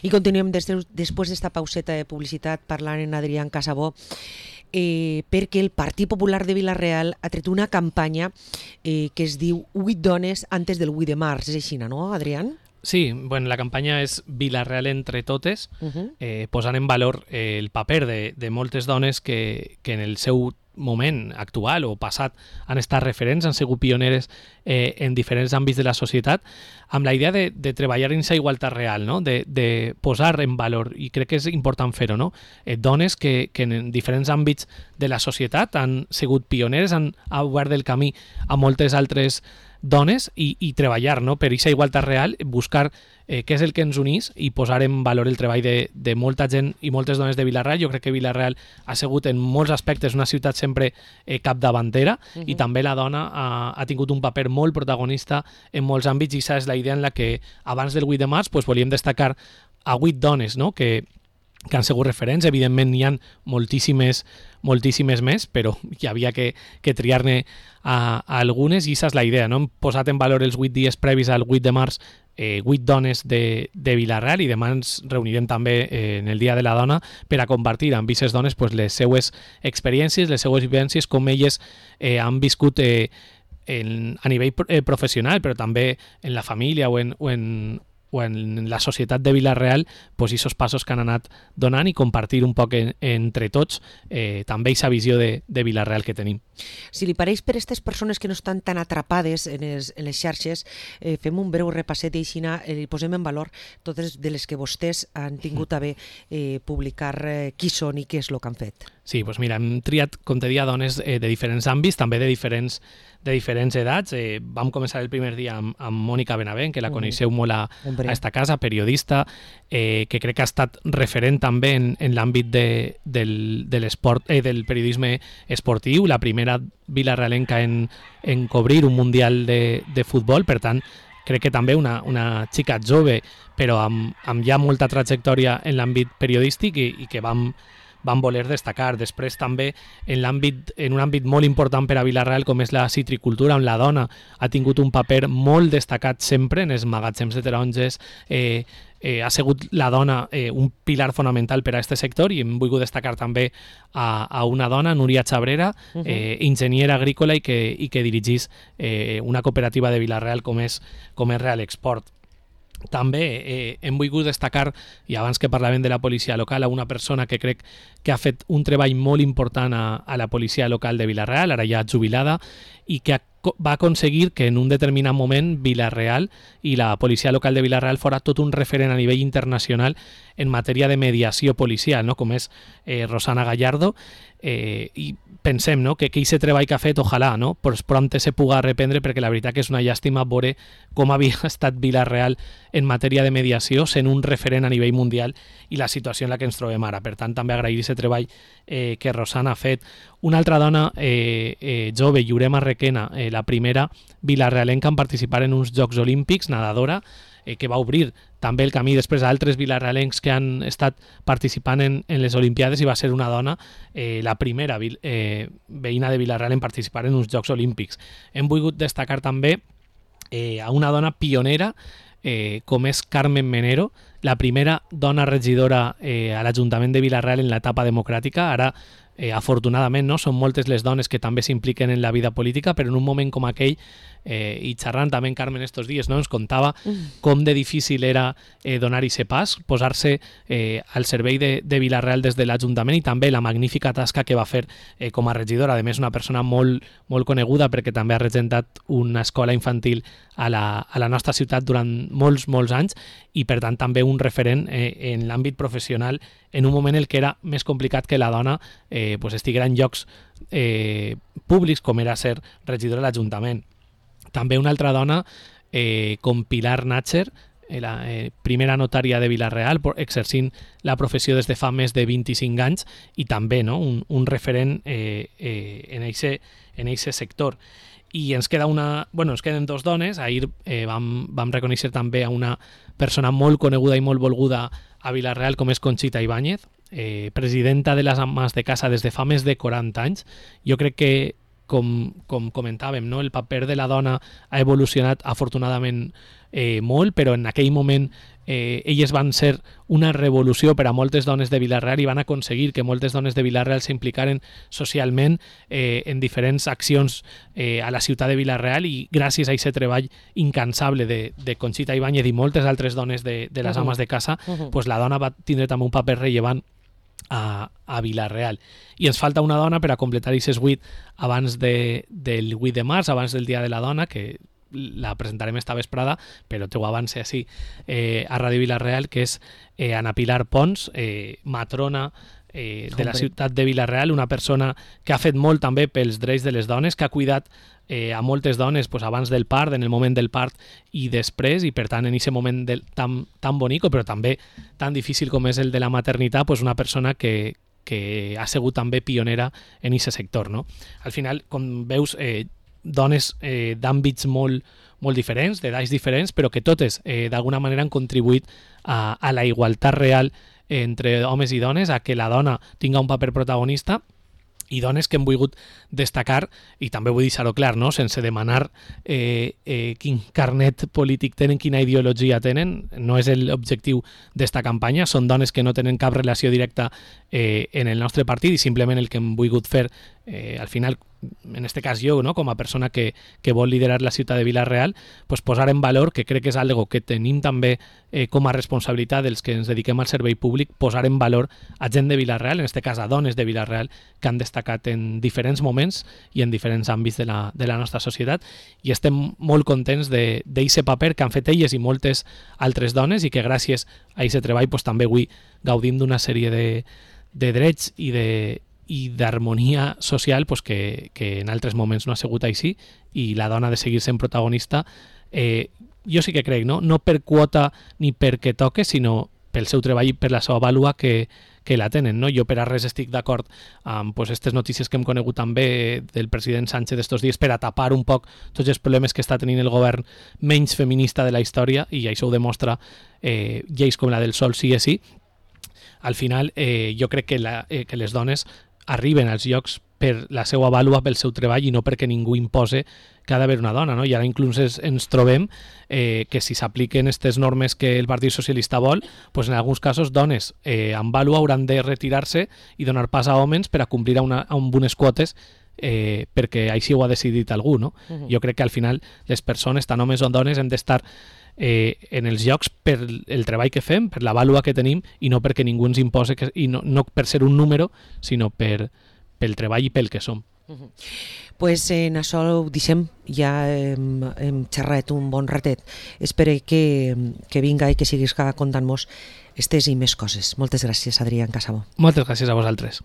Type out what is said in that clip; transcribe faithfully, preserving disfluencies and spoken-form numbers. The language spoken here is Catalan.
I continuem des de, després d'esta pauseta de publicitat parlant en Adrián Casabó, eh, perquè el Partit Popular de Vila-real ha tret una campanya eh, que es diu huit dones antes del vuit de març. És així, no, Adrián? Sí, bueno, la campanya és Vila-real entre totes, Uh-huh. eh, posant en valor eh, el paper de, de moltes dones que, que en el seu moment actual o passat han estat referents, han sigut pioneres eh, en diferents àmbits de la societat, amb la idea de, de treballar en aquesta igualtat real, no? de, de posar en valor, i crec que és important fer-ho, no? eh, dones que, que en diferents àmbits de la societat han sigut pioneres, han obert el camí a moltes altres dones i, i treballar, no? per aquesta igualtat real, buscar eh, què és el que ens unís i posar en valor el treball de, de molta gent i moltes dones de Vila-real. Jo crec que Vila-real ha sigut en molts aspectes una ciutat sempre eh, capdavantera, uh-huh. i també la dona ha, ha tingut un paper molt protagonista en molts àmbits, i aquesta és la idea en la que abans del vuit de març pues, volíem destacar a vuit dones, no? que que han sigut referents. Evidentment n'hi ha moltíssimes, moltíssimes més, però hi havia que, que triar-ne a, a algunes, i aquesta és la idea, no? Hem posat en valor els vuit dies previs al vuit de març eh, vuit dones de, de Vila-real, i demà ens reunirem també eh, en el Dia de la Dona per a compartir amb aquestes dones pues, les seues experiències, les seues vivències, com elles eh, han viscut eh, en, a nivell eh, professional, però també en la família o en, o en o en la societat de Vila-real, pues, aquests passos que han anat donant, i compartir un poc en, entre tots eh, també aquesta visió de, de Vila-real que tenim. Si li pareix, per a aquestes persones que no estan tan atrapades en, els, en les xarxes, eh, fem un breu repasset i així eh, posem en valor totes de les que vostès han tingut a bé eh, publicar eh, qui són i què és el que han fet. Sí, doncs mira, hem triat, com te deia, dones eh, de diferents àmbits, també de diferents de diferents edats. Eh, vam començar el primer dia amb, amb Mònica Benavent, que la coneixeu molt a, a esta casa, periodista, eh, que crec que ha estat referent també en, en l'àmbit de, del, de l'esport, eh, del periodisme esportiu, la primera vilarealenca en, en cobrir un mundial de, de futbol, per tant, crec que també una, una xica jove, però amb, amb ja molta trajectòria en l'àmbit periodístic, i, i que vam van voler destacar. Després també en l'àmbit en un àmbit molt important per a Vila-real, com és la citricultura, on la dona ha tingut un paper molt destacat sempre en els magatzems de taronges. eh, eh, ha sigut la dona eh, un pilar fonamental per a aquest sector, i hem volgut destacar també a, a una dona, Núria Chabrera, eh, enginyera agrícola, i que, i que dirigís eh, una cooperativa de Vila-real com és, com és Real Export. També eh, hem volgut destacar, i abans que parlàvem de la policia local, a una persona que crec que ha fet un treball molt important a, a la policia local de Vila-real, ara ja jubilada, i que ha, va aconseguir que en un determinat moment Vila-real i la policia local de Vila-real fora tot un referent a nivell internacional en matèria de mediació policial, no? com és eh, Rosana Gallardo, eh, i pensem, no? que aquest treball que ha fet, ojalà, no? pues prompte se puga reprendre, perquè la veritat que és una llàstima veure com havia estat Vila-real en matèria de mediació, sent un referent a nivell mundial, i la situació en la que ens trobem ara. Per tant, també agrair aquest treball eh, que Rosana ha fet. Una altra dona eh, eh, jove, Llurema Requena, eh, la primera vilarealenca en participar en uns Jocs Olímpics, nadadora, eh, que va obrir també el camí després a altres vilarealencs que han estat participant en, en les Olimpiades, i va ser una dona eh, la primera eh, veïna de Vila-real en participar en uns Jocs Olímpics. Hem volgut destacar també eh, a una dona pionera eh, com és Carmen Menero, la primera dona regidora eh, a l'Ajuntament de Vila-real en l'etapa democràtica. Ara Eh, afortunadament, no? Són moltes les dones que també s'impliquen en la vida política, però en un moment com aquell, eh, i xerrant també en Carmen estos dies, no? ens contava mm. com de difícil era eh, donar aquest pas, posar-se eh, al servei de, de Vila-real des de l'Ajuntament, i també la magnífica tasca que va fer eh, com a regidora. A més, una persona molt, molt coneguda, perquè també ha regentat una escola infantil a la, a la nostra ciutat durant molts, molts anys, i per tant també un referent eh, en l'àmbit professional en un moment en el que era més complicat que la dona eh, pues estiguera en llocs eh, públics, com era ser regidora de l'Ajuntament. També una altra dona eh, com Pilar Natcher, eh, la eh, primera notària de Vila-real, exercint la professió des de fa més de vint-i-cinc anys, i també, no? un, un referent eh, eh, en eixe en eixe sector. I ens queda una, bueno, ens queden dos dones. Ahir eh, vam, vam reconèixer també a una persona molt coneguda i molt volguda a Vila-real, com és Conxita Ibáñez, eh, presidenta de les ames de casa des de fa més de quaranta anys. Jo crec que, com, com comentàvem, no? el paper de la dona ha evolucionat afortunadament eh, molt, però en aquell moment eh, elles van ser una revolució per a moltes dones de Vila-real i van aconseguir que moltes dones de Vila-real s'implicaren socialment eh, en diferents accions eh, a la ciutat de Vila-real, i gràcies a aquest treball incansable de, de Conxita Ibáñez i moltes altres dones de, de les Uh-huh. ames de casa, Uh-huh. pues la dona va tindre també un paper rellevant a, a Vila-real. I ens falta una dona per a completar aquests vuit abans de, del vuit de març, abans del Dia de la Dona, que la presentarem esta vesprada, però t'ho avance així eh, a Ràdio Vila-real, que és eh, Ana Pilar Pons, eh, matrona eh, de la Hombre. ciutat de Vila-real, una persona que ha fet molt també pels drets de les dones, que ha cuidat eh, a moltes dones pues, abans del part, en el moment del part i després, i per tant en aquest moment del, tan, tan bonico, però també tan difícil com és el de la maternitat, pues, una persona que, que ha sigut també pionera en aquest sector. No? Al final, com veus, eh, dones eh, d'àmbits molt, molt diferents, d'edats diferents, però que totes eh, d'alguna manera han contribuït a, a la igualtat real entre homes i dones, a que la dona tinga un paper protagonista, i dones que hem volgut destacar, i també vull deixar-ho clar, no? Sense demanar eh, eh, quin carnet polític tenen, quina ideologia tenen, no és l'objectiu d'esta campanya, són dones que no tenen cap relació directa eh, en el nostre partit, i simplement el que hem volgut fer, eh, al final, en este cas jo, no? Com a persona que, que vol liderar la ciutat de Vila-real, pues posar en valor, que crec que és algo que tenim també eh, com a responsabilitat dels que ens dediquem al servei públic, posar en valor a gent de Vila-real, en este cas a dones de Vila-real, que han destacat en diferents moments i en diferents àmbits de la, de la nostra societat, i estem molt contents d'aquest paper que han fet elles i moltes altres dones, i que gràcies a aquest treball pues, també avui gaudim d'una sèrie de, de drets i de i d'harmonia social pues, que, que en altres moments no ha sigut així, i la dona ha de seguir sent protagonista. Eh, jo sí que crec, no? No per quota ni perquè toque, sinó pel seu treball i per la seva vàlua que, que la tenen. No? Jo per a res estic d'acord amb pues, aquestes notícies que hem conegut també del president Sánchez d'estos dies per a tapar un poc tots els problemes que està tenint el govern menys feminista de la història, i això ho demostra eh, lleis com la del Sol sí és sí. Al final, eh, jo crec que, la, eh, que les dones arriben als llocs per la seva vàlua, pel seu treball, i no perquè ningú impose que ha d'haver una dona. No? I ara inclús ens, ens trobem eh, que si s'apliquen aquestes normes que el Partit Socialista vol, pues en alguns casos dones eh, amb vàlua hauran de retirar-se i donar pas a homes per a complir a, una, a unes quotes eh, perquè així ho ha decidit algú. No? Uh-huh. Jo crec que al final les persones, tant homes o dones, hem d'estar Eh, en els llocs per el treball que fem, per la vàlua que tenim, i no perquè ningú ens impose, que, i no, no per ser un número, sinó per, pel treball i pel que som. Uh-huh. Pues en això ho deixem, ja hem, hem xerrat un bon ratet. Espero que, que vinga i que siguis contant-nos estes i més coses. Moltes gràcies, Adrián Casabó. Moltes gràcies a vosaltres.